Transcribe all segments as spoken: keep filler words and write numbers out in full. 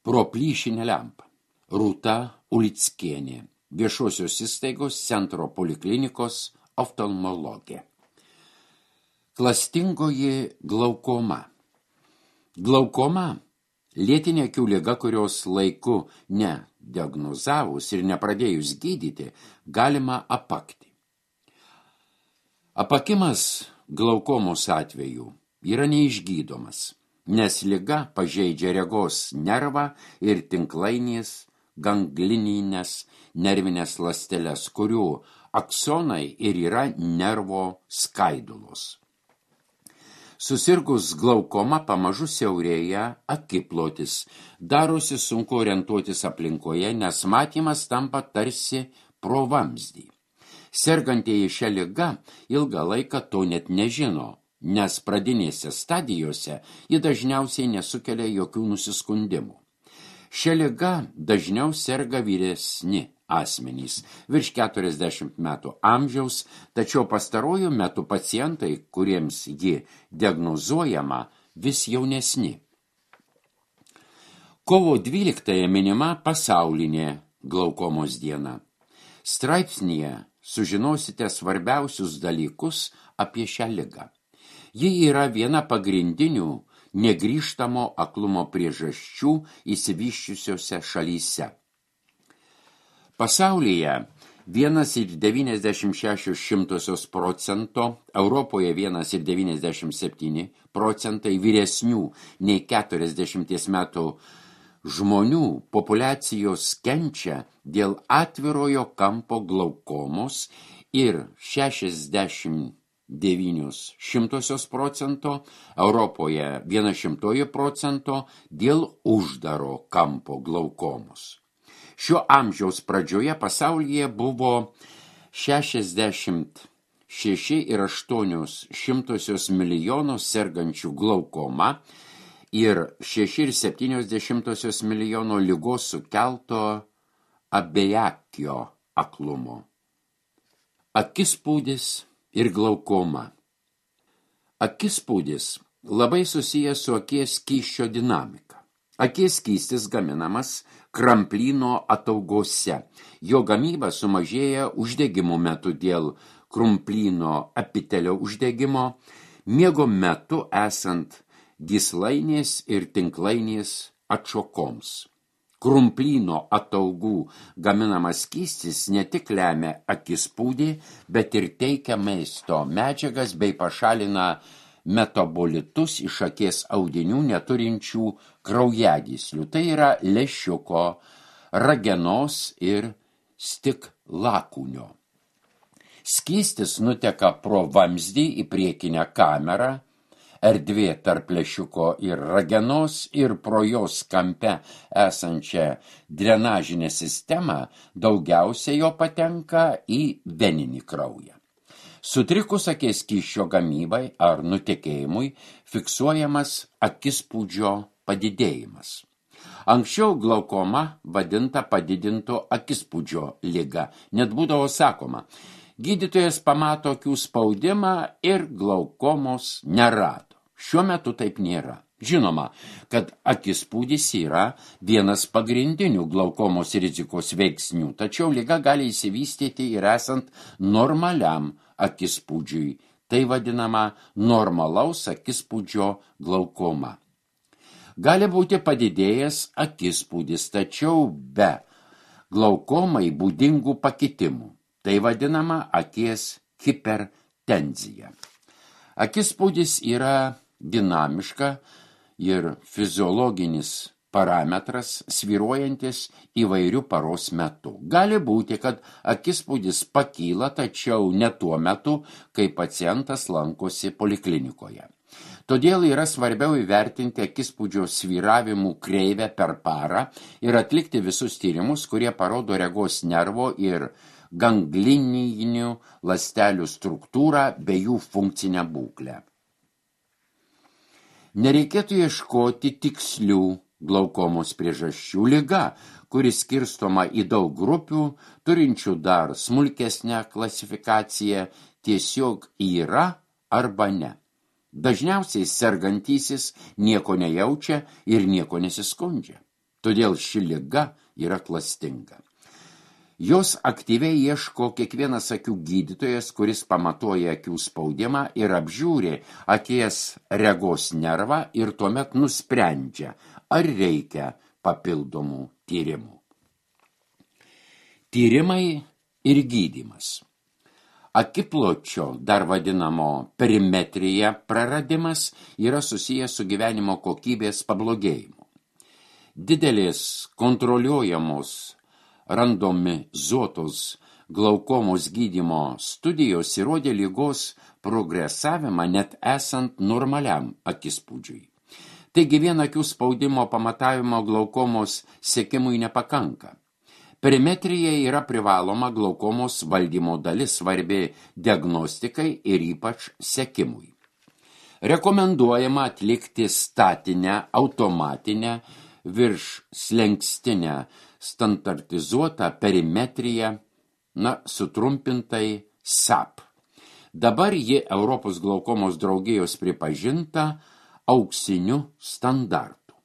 pro plyšinę lempą. Rūta Ulickienė, viešosios įstaigos Centro poliklinikos oftalmologė. Klastingoji glaukoma. Glaukoma – lėtinė akių liga, kurios laiku nediagnozavus ir nepradėjus gydyti, galima apakti. Apakimas glaukomos atveju yra neišgydomas, nes liga pažeidžia regos nervą ir tinklainės ganglinines nervinės ląsteles, kurių aksonai ir yra nervo skaidulos. Susirgus glaukoma pamažu siaurėja akiplotis, darosi sunku orientuotis aplinkoje, nes matymas tampa tarsi pro vamzdį. Sergantieji šią ligą ilgą laiką to net nežino, nes pradinėse stadijose ji dažniausiai nesukelia jokių nusiskundimų. Šią ligą dažniau serga vyresni asmenys, virš keturiasdešimt metų amžiaus, tačiau pastaruoju metu pacientai, kuriems ji diagnozuojama, vis jaunesni. Kovo dvyliktąją minima pasaulinė glaukomos diena. Straipsnyje sužinosite svarbiausius dalykus apie šią ligą. Ji yra viena pagrindinių negrįžtamo aklumo priežasčių išsivysčiusiose šalyse. Pasaulyje vienas ir devyniasdešimt šešios šimtosios procento, Europoje vienas ir devyniasdešimt septyni procentai vyresnių nei keturiasdešimties metų žmonių populiacijos kenčia dėl atvirojo kampo glaukomos ir šešiasdešimt devynios šimtosios procento, Europoje viena šimtoji procento dėl uždaro kampo glaukomos. Šio amžiaus pradžioje pasaulyje buvo šešiasdešimt šeši ir aštuonios šimtosios milijono sergančių glaukoma ir šeši ir septynios dešimtosios milijono ligos sukelto abejakio aklumo. Akispūdis ir glaukoma. Akispūdis labai susijęs su akies skysčio dinamika. Akies skystis gaminamas kramplyno ataugose. Jo gamyba sumažėja uždegimo metu dėl krumplyno epitelio uždegimo, miego metu esant gyslainės ir tinklainės atšokoms. Krumplyno ataugų gaminamas skystis ne tik lemia akispūdį, bet ir teikia maisto medžiagas bei pašalina metabolitus iš akies audinių neturinčių kraujagyslių. Tai yra lęšiuko, ragenos ir stiklakūnio. Skystis nuteka pro vamzdį į priekinę kamerą, erdvė tarp lęšiuko ir ragenos ir pro jos kampe esančią drenažinę sistemą daugiausia jo patenka į veninį kraują. Sutrikus akies skysčio gamybai ar nutekėjimui fiksuojamas akispūdžio padidėjimas. Anksčiau glaukoma vadinta padidinto akispūdžio liga, net būdavo sakoma, gydytojas pamato akių spaudimą ir glaukomos nerado. Šiuo metu taip nėra. Žinoma, kad akispūdis yra vienas pagrindinių glaukomos rizikos veiksnių, tačiau liga gali įsivystyti ir esant normaliam akispūdžiui. Tai vadinama normalaus akispūdžio glaukoma. Gali būti padidėjęs akispūdis, tačiau be glaukomai būdingų pakitimų. Tai vadinama akies hipertenzija. Akispūdis yra dinamiška ir fiziologinis parametras svyruojantis įvairių paros metu. Gali būti, kad akispūdis pakyla, tačiau ne tuo metu, kai pacientas lankosi poliklinikoje. Todėl yra svarbiau įvertinti akispūdžio svyravimų kreivę per parą ir atlikti visus tyrimus, kurie parodo regos nervo ir ganglininių ląstelių struktūrą bei jų funkcinę būklę. Nereikėtų ieškoti tikslių glaukomos priežasčių. Liga, kuris skirstoma į daug grupių, turinčių dar smulkesnę klasifikaciją, tiesiog yra arba ne. Dažniausiai sergantysis nieko nejaučia ir nieko nesiskundžia. Todėl ši liga yra klastinga. Jos aktyviai ieško kiekvienas akių gydytojas, kuris pamatuoja akių spaudimą ir apžiūri akies regos nervą ir tuomet nusprendžia, ar reikia papildomų tyrimų. Tyrimai ir gydymas. Akipločio, dar vadinamo perimetrija, praradimas yra susijęs su gyvenimo kokybės pablogėjimu. Didelės kontroliuojamos randomizuotos glaukomos gydymo studijos įrodė ligos progresavimą net esant normaliam akispūdžiui. Taigi vien akių spaudimo pamatavimo glaukomos sekimui nepakanka. Perimetrija yra privaloma glaukomos valdymo dalis, svarbi diagnostikai ir ypač sekimui. Rekomenduojama atlikti statinę, automatinę, virš slenkstinę, standartizuotą perimetriją, na, sutrumpintai S A P. Dabar ji Europos glaukomos draugijos pripažinta auksiniu standartu.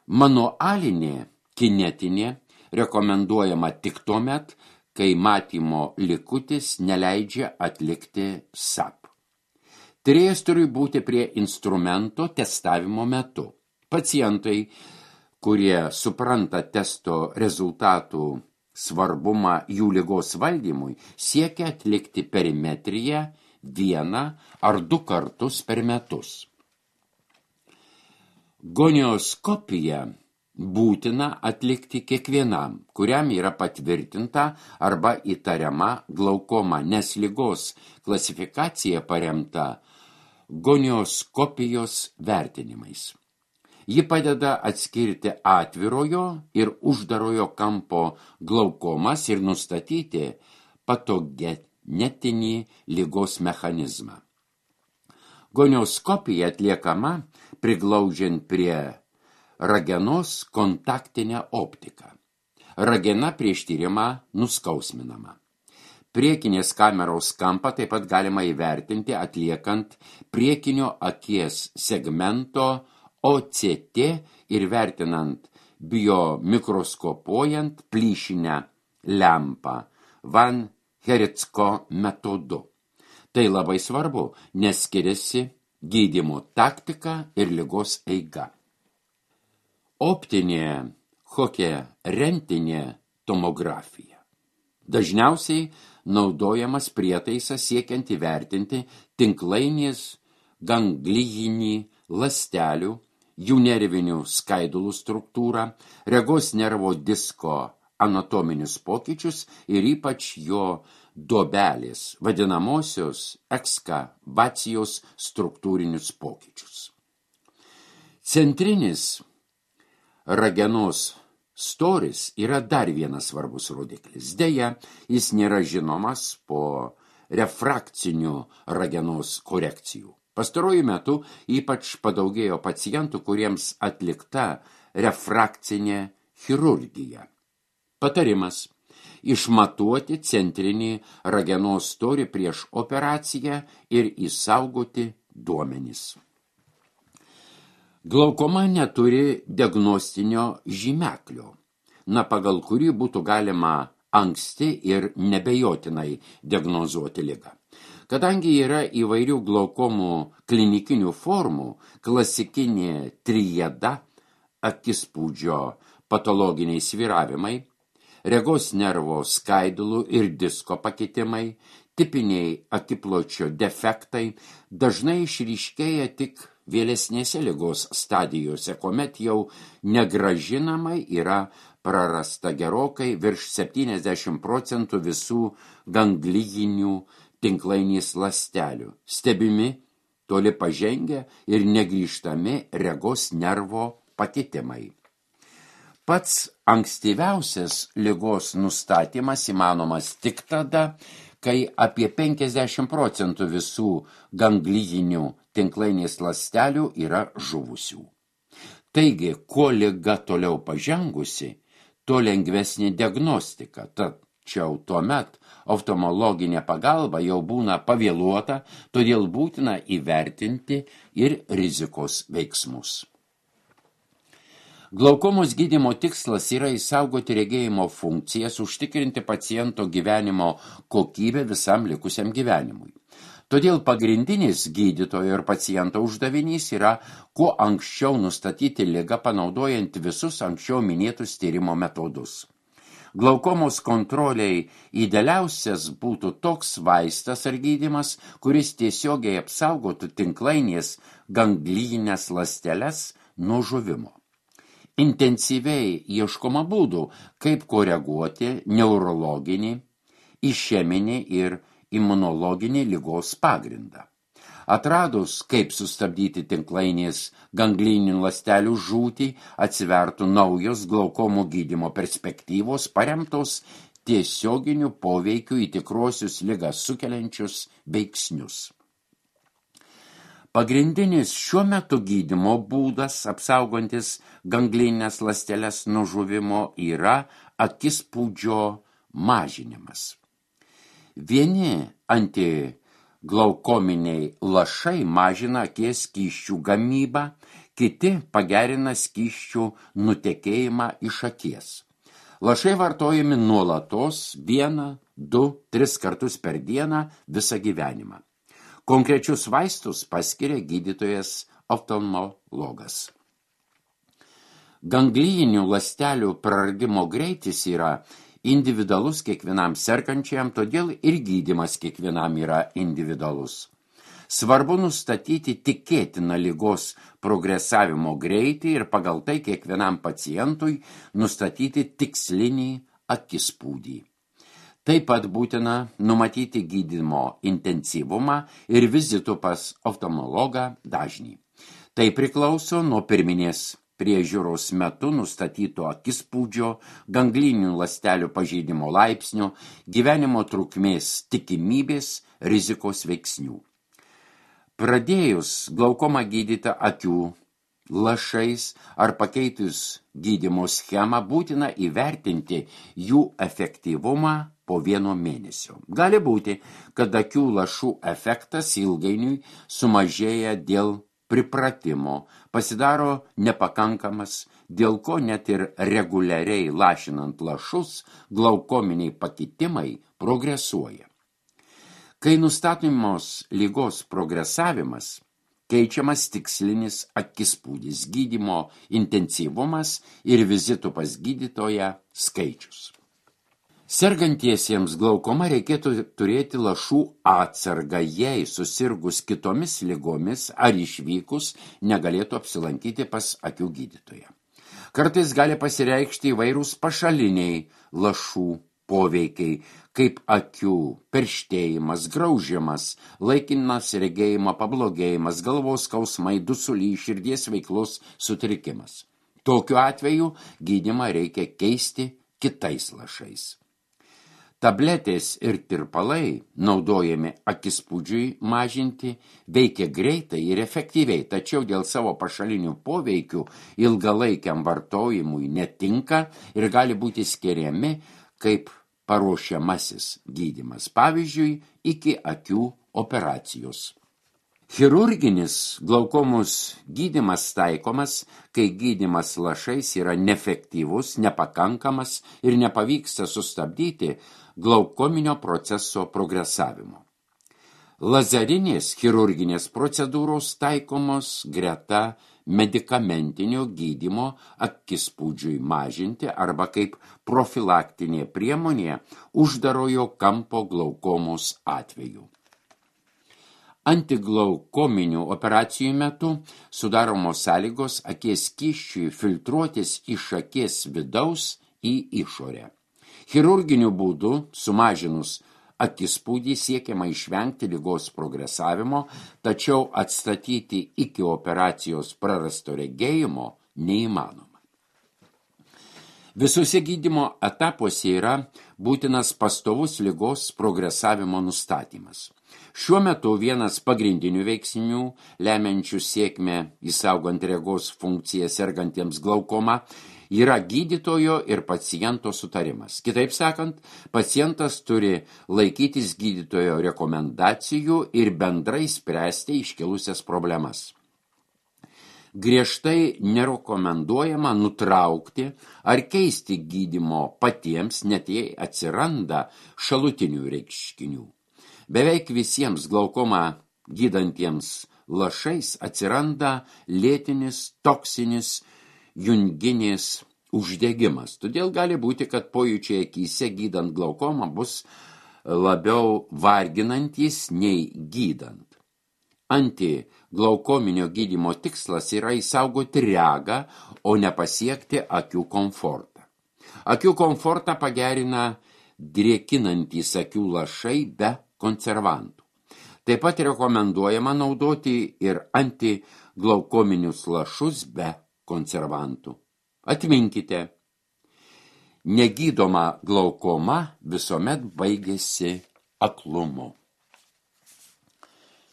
Manualinė kinetinė rekomenduojama tik tuomet, kai matymo likutis neleidžia atlikti S A P. Tyrėjas turi būti prie instrumento testavimo metu. Pacientai, kurie supranta testo rezultatų svarbumą jų ligos valdymui, siekia atlikti perimetriją vieną ar du kartus per metus. Gonioskopiją būtina atlikti kiekvienam, kuriam yra patvirtinta arba įtariama glaukoma, nes ligos klasifikacija paremta gonioskopijos vertinimais. Ji padeda atskirti atvirojo ir uždarojo kampo glaukomas ir nustatyti patogenetinį ligos mechanizmą. Gonioskopija atliekama priglaudžiant prie ragenos kontaktinę optiką. Ragena prieš tyrimą nuskausminama. Priekinės kameros kampą taip pat galima įvertinti atliekant priekinio akies segmento O C T ir vertinant biomikroskopuojant plyšinę lempą Van Hericko metodu. Tai labai svarbu, nes skiriasi gydymo taktika ir ligos eiga. Optinė koherentinė tomografija. Dažniausiai naudojamas prietaisas siekiant įvertinti tinklainės ganglijinį ląstelių, jų nervinių skaidulų struktūrą, regos nervo disko anatominius pokyčius ir ypač jo duobelės, vadinamosios ekskavacijos struktūrinius pokyčius. Centrinis ragenos storis yra dar vienas svarbus rodiklis. Deja, jis nėra žinomas po refrakcinių ragenos korekcijų. Pastaruoju metu ypač padaugėjo pacientų, kuriems atlikta refrakcinė chirurgija. Patarimas – išmatuoti centrinį ragenos storį prieš operaciją ir išsaugoti duomenis. Glaukoma neturi diagnostinio žymeklio, na, pagal kurį būtų galima anksti ir nebejotinai diagnozuoti ligą. Kadangi yra įvairių glaukomų klinikinių formų, klasikinė trijada, akispūdžio patologiniai svyravimai, regos nervo skaidulų ir disko pakitimai, tipiniai akipločio defektai dažnai išryškėja tik vėlesnėse ligos stadijose, kuomet jau negrąžinamai yra prarasta gerokai virš septyniasdešimt procentų visų ganglijinių tinklainės ląstelių, stebimi, toli pažengę ir negrįžtami regos nervo pakitimai. Pats ankstyviausias ligos nustatymas įmanomas tik tada, kai apie penkiasdešimt procentų visų ganglijinių tinklainės ląstelių yra žuvusių. Taigi, kuo liga toliau pažengusi, tuo lengvesnė diagnostika, tačiau tuomet oftalmologinė pagalba jau būna pavėluota, todėl būtina įvertinti ir rizikos veiksmus. Glaukomos gydymo tikslas yra išsaugoti regėjimo funkcijas, užtikrinti paciento gyvenimo kokybę visam likusiam gyvenimui. Todėl pagrindinis gydytojo ir paciento uždavinys yra kuo anksčiau nustatyti ligą, panaudojant visus anksčiau minėtus tyrimo metodus. Glaukomos kontroliai idealiausias būtų toks vaistas ar gydymas, kuris tiesiogiai apsaugotų tinklainės ganglijines ląsteles nuo žuvimo. Intensyviai ieškoma būdų, kaip koreguoti neurologinį, išeminį ir imunologinį ligos pagrindą. Atradus, kaip sustabdyti tinklainės ganglinių ląstelių žūtį, atsivertų naujos glaukomų gydymo perspektyvos paremtos tiesioginių poveikių į tikruosius ligą sukeliančius veiksnius. Pagrindinis šiuo metu gydymo būdas, apsaugantis ganglinės ląsteles nuo žuvimo, yra akispūdžio mažinimas. Vieni antiglaukominiai lašai mažina akies skysčių gamybą, kiti pagerina skysčių nutekėjimą iš akies. Lašai vartojami nuolatos vieną, du, tris kartus per dieną visą gyvenimą. Konkrečius vaistus paskiria gydytojas oftalmologas. Ganglijinių ląstelių praradimo greitis yra individualus kiekvienam sergančiam, todėl ir gydymas kiekvienam yra individualus. Svarbu nustatyti tikėtiną ligos progresavimo greitį ir pagal tai kiekvienam pacientui nustatyti tikslinį akispūdį. Taip pat būtina numatyti gydymo intensyvumą ir vizitų pas oftalmologą dažnį. Tai priklauso nuo pirminės priežiūros metu nustatyto akispūdžio, ganglinių ląstelių pažeidimo laipsnio, gyvenimo trukmės tikimybės, rizikos veiksnių. Pradėjus glaukomą gydyti akių lašais ar pakeitus gydymo schemą, būtina įvertinti jų efektyvumą po vieno mėnesio. Gali būti, kad akių lašų efektas ilgainiui sumažėja dėl pripratimo, pasidaro nepakankamas, dėl ko net ir reguliariai lašinant lašus glaukominiai pakitimai progresuoja. Kai nustatomos ligos progresavimas, keičiamas tikslinis akispūdis, gydymo intensyvumas ir vizitų pas gydytoją skaičius. Sergantiesiems glaukoma reikėtų turėti lašų atsargą, jei susirgus kitomis ligomis ar išvykus negalėtų apsilankyti pas akių gydytoją. Kartais gali pasireikšti įvairūs pašaliniai lašų poveikiai, kaip akių perštėjimas, graužimas, laikinas regėjimo pablogėjimas, galvos skausmai, dusulys, širdies veiklos sutrikimas. Tokiu atveju gydymą reikia keisti kitais lašais. Tabletės ir tirpalai, naudojami akispūdžiui mažinti, veikia greitai ir efektyviai, tačiau dėl savo pašalinių poveikių ilgalaikiam vartojimui netinka ir gali būti skiriami kaip paruošiamasis gydymas, pavyzdžiui, iki akių operacijos. Chirurginis glaukomos gydymas taikomas, kai gydymas lašais yra neefektyvus, nepakankamas ir nepavyksta sustabdyti glaukominio proceso progresavimo. Lazerinės chirurginės procedūros taikomos greta medikamentinio gydymo akispūdžiui mažinti arba kaip profilaktinė priemonė uždarojo kampo glaukomos atveju. Antiglaukominių operacijų metu sudaromos sąlygos akies skysčiui filtruotis iš akies vidaus į išorę. Chirurginiu būdu, sumažinus akispūdį, siekiama išvengti ligos progresavimo, tačiau atstatyti iki operacijos prarasto regėjimo neįmanoma. Visuose gydymo etapuose yra būtinas pastovus ligos progresavimo nustatymas. Šiuo metu vienas pagrindinių veiksnių, lemiančių sėkmę įsaugant regos funkciją sergantiems glaukoma, yra gydytojo ir paciento sutarimas. Kitaip sakant, pacientas turi laikytis gydytojo rekomendacijų ir bendrai spręsti iškilusias problemas. Griežtai nerekomenduojama nutraukti ar keisti gydymo patiems, net jei atsiranda šalutinių reiškinių. Beveik visiems glaukomą gydantiems lašais atsiranda lėtinis toksinis junginis uždegimas. Todėl gali būti, kad pojūčiai akyse gydant glaukomą bus labiau varginantys nei gydant. Antiglaukominio gydymo tikslas yra įsaugoti regą, o ne pasiekti akių komfortą. Akių komfortą pagerina drėkinantys akių lašai be konservantų. Taip pat rekomenduojama naudoti ir antiglaukominius lašus be konservantų. Atminkite, negydoma glaukoma visuomet baigėsi aklumu.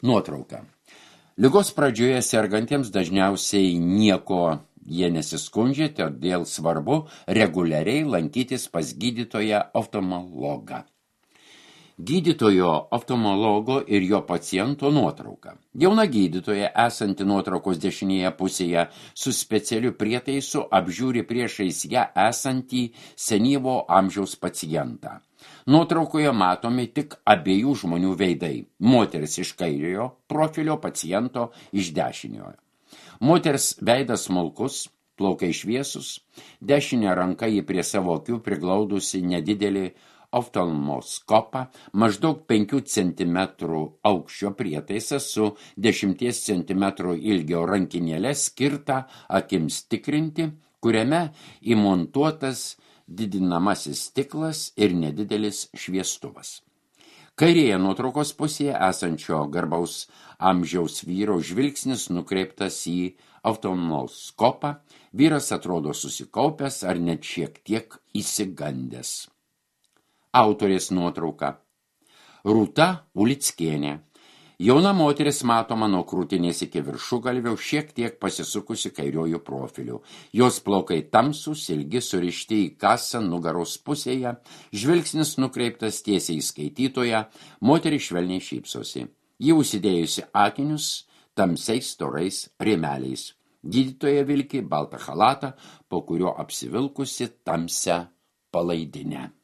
Nuotrauka. Ligos pradžioje sergantiems dažniausiai nieko jie nesiskundžia, todėl svarbu reguliariai lankytis pas gydytoją oftalmologą. Gydytojo oftalmologo ir jo paciento nuotrauka. Jauna gydytoja, esanti nuotraukos dešinėje pusėje, su specialiu prietaisu apžiūri priešais ją esantį senyvo amžiaus pacientą. Nuotraukoje matomi tik abiejų žmonių veidai. Moteris iš kairiojo profilio, paciento iš dešiniojo. Moters veidas smulkus, plaukai šviesus, dešinė ranka ji prie savo akių priglaudusi nedidelį oftalmoskopą, maždaug penkių centimetrų aukščio prietaisą su dešimties centimetrų ilgio rankinėlė skirtą akims tikrinti, kuriame įmontuotas didinamasis stiklas ir nedidelis šviestuvas. Kairėje nuotraukos pusėje esančio garbaus amžiaus vyro žvilgsnis nukreiptas į oftalmoskopą, vyras atrodo susikaupęs ar net šiek tiek įsigandęs. Autorės nuotrauka. Rūta Ulickienė. Jauna moteris matoma nuo krūtinės iki viršugalvio, šiek tiek pasisukusi kairiojų profiliu. Jos plaukai tamsūs, ilgi, surišti į kasą nugaros pusėje, žvilgsnis nukreiptas tiesiai į skaitytoją, moteris švelniai šypsosi. Ji užsidėjusi akinius tamsiais storais rėmeliais. Gydytoja vilki baltą chalatą, po kurio apsivilkusi tamsią palaidinę.